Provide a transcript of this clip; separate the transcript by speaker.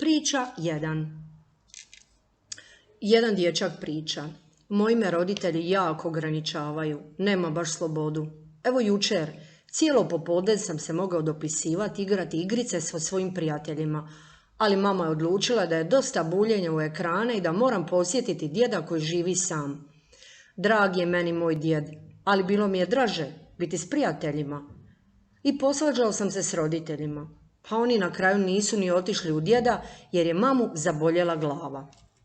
Speaker 1: Priča 1. Jedan dječak priča. Moji me roditelji jako ograničavaju, nema baš slobodu. Evo jučer, cijelo popodne sam se mogao dopisivati, igrati igrice sa svojim prijateljima, ali mama je odlučila da je dosta buljenja u ekrane i da moram posjetiti djeda koji živi sam. Drag je meni moj djed, ali bilo mi je draže biti s prijateljima. I posvađao sam se s roditeljima, pa oni na kraju nisu ni otišli u djeda jer je mamu zaboljela glava.